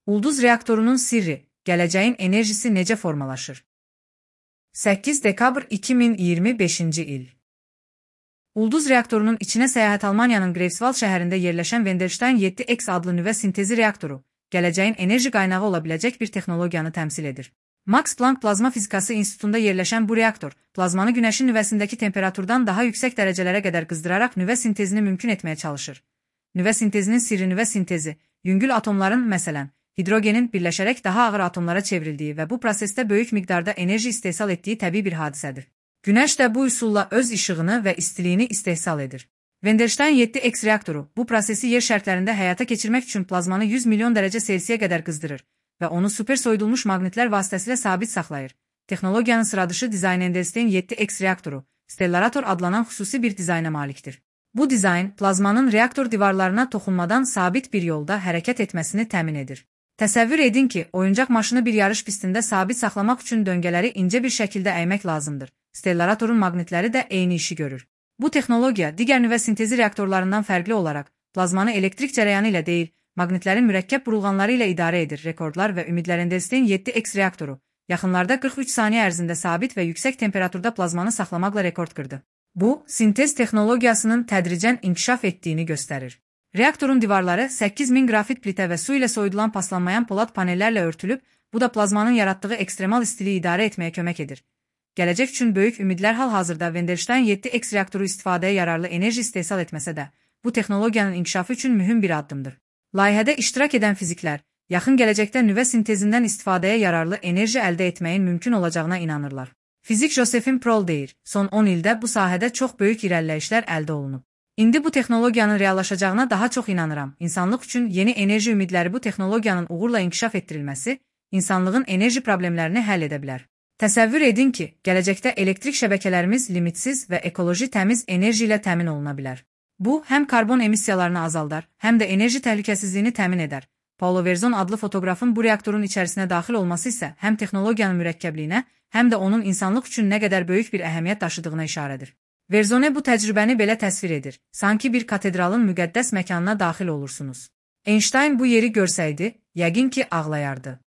Ulduz reaktorunun sirri, gələcəyin enerjisi necə formalaşır? 8 dekabr 2025-ci il. Ulduz reaktorunun içinə səyahət Almaniyanın Greifswald şəhərində yerləşən Wendelstein 7X adlı nüvə sintezi reaktoru, gələcəyin enerji qaynağı ola biləcək bir texnologiyanı təmsil edir. Max Planck Plazma Fizikası İnstitutunda yerləşən bu reaktor, plazmanı günəşin nüvəsindəki temperaturdan daha yüksək dərəcələrə qədər qızdıraraq nüvə sintezini mümkün etməyə çalışır. Nüvə sintezinin sirri nüvə sintezi, yüngül atomların, məsələn, hidrogenin birləşərək daha ağır atomlara çevrildiyi və bu prosesdə böyük miqdarda enerji istehsal etdiyi təbii bir hadisədir. Günəş də bu üsulla öz işığını və istiliyini istehsal edir. Wendelstein 7X reaktoru bu prosesi yer şərtlərində həyata keçirmək üçün plazmanı 100 milyon dərəcə Selsiyə qədər qızdırır və onu super soyudulmuş maqnitlər vasitəsilə sabit saxlayır. Texnologiyanın sıradışı dizayn Wendelstein 7X reaktoru, stellarator adlanan xüsusi bir dizayna malikdir. Bu dizayn, plazmanın reaktor divarlarına toxunmadan sabit bir yolda hərəkət etməsini təmin edir. Təsəvvür edin ki, oyuncaq maşını bir yarış pistində sabit saxlamaq üçün döngələri incə bir şəkildə əymək lazımdır. Stellaratorun maqnitləri də eyni işi görür. Bu texnologiya digər nüvə sintezi reaktorlarından fərqli olaraq, plazmanı elektrik cərəyanı ilə deyil, maqnitlərin mürəkkəb burulğanları ilə idarə edir. Rekordlar və ümidlər Wendelstein 7X reaktoru, yaxınlarda 43 saniyə ərzində sabit və yüksək temperaturda plazmanı saxlamaqla rekord qırdı. Bu, sintez texnologiyasının tədricən inkişaf etdiyini göstərir. Reaktorun divarları 8000 qrafit plitə və su ilə soyudulan paslanmayan polad panellərlə örtülüb, bu da plazmanın yaratdığı ekstremal istiliyi idarə etməyə kömək edir. Gələcək üçün böyük ümidlər hal-hazırda Wendelstein 7X reaktoru istifadəyə yararlı enerji istehsal etməsə də, bu texnologiyanın inkişafı üçün mühüm bir addımdır. Layihədə iştirak edən fiziklər, yaxın gələcəkdə nüvə sintezindən istifadəyə yararlı enerji əldə etməyin mümkün olacağına inanırlar. Fizik Josephine Prol deyir, son 10 ildə bu sahədə çox böyük irəliləyişlər əldə olunub. İndi bu texnologiyanın reallaşacağına daha çox inanıram. İnsanlıq üçün yeni enerji ümidləri bu texnologiyanın uğurla inkişaf etdirilməsi, insanlığın enerji problemlərini həll edə bilər. Təsəvvür edin ki, gələcəkdə elektrik şəbəkələrimiz limitsiz və ekoloji təmiz enerji ilə təmin oluna bilər. Bu, həm karbon emissiyalarını azaldar, həm də enerji təhlükəsizliyini təmin edər. Paulo Verzon adlı fotoqrafın bu reaktorun içərisinə daxil olması isə həm texnologiyanın mürəkkəbliyinə, həm də onun insanlıq üçün nə qədər böyük bir əhəmiyyət daşıdığına işarədir. Verzone bu təcrübəni belə təsvir edir, sanki bir katedralın müqəddəs məkanına daxil olursunuz. Einstein bu yeri görsəydi, yəqin ki ağlayardı.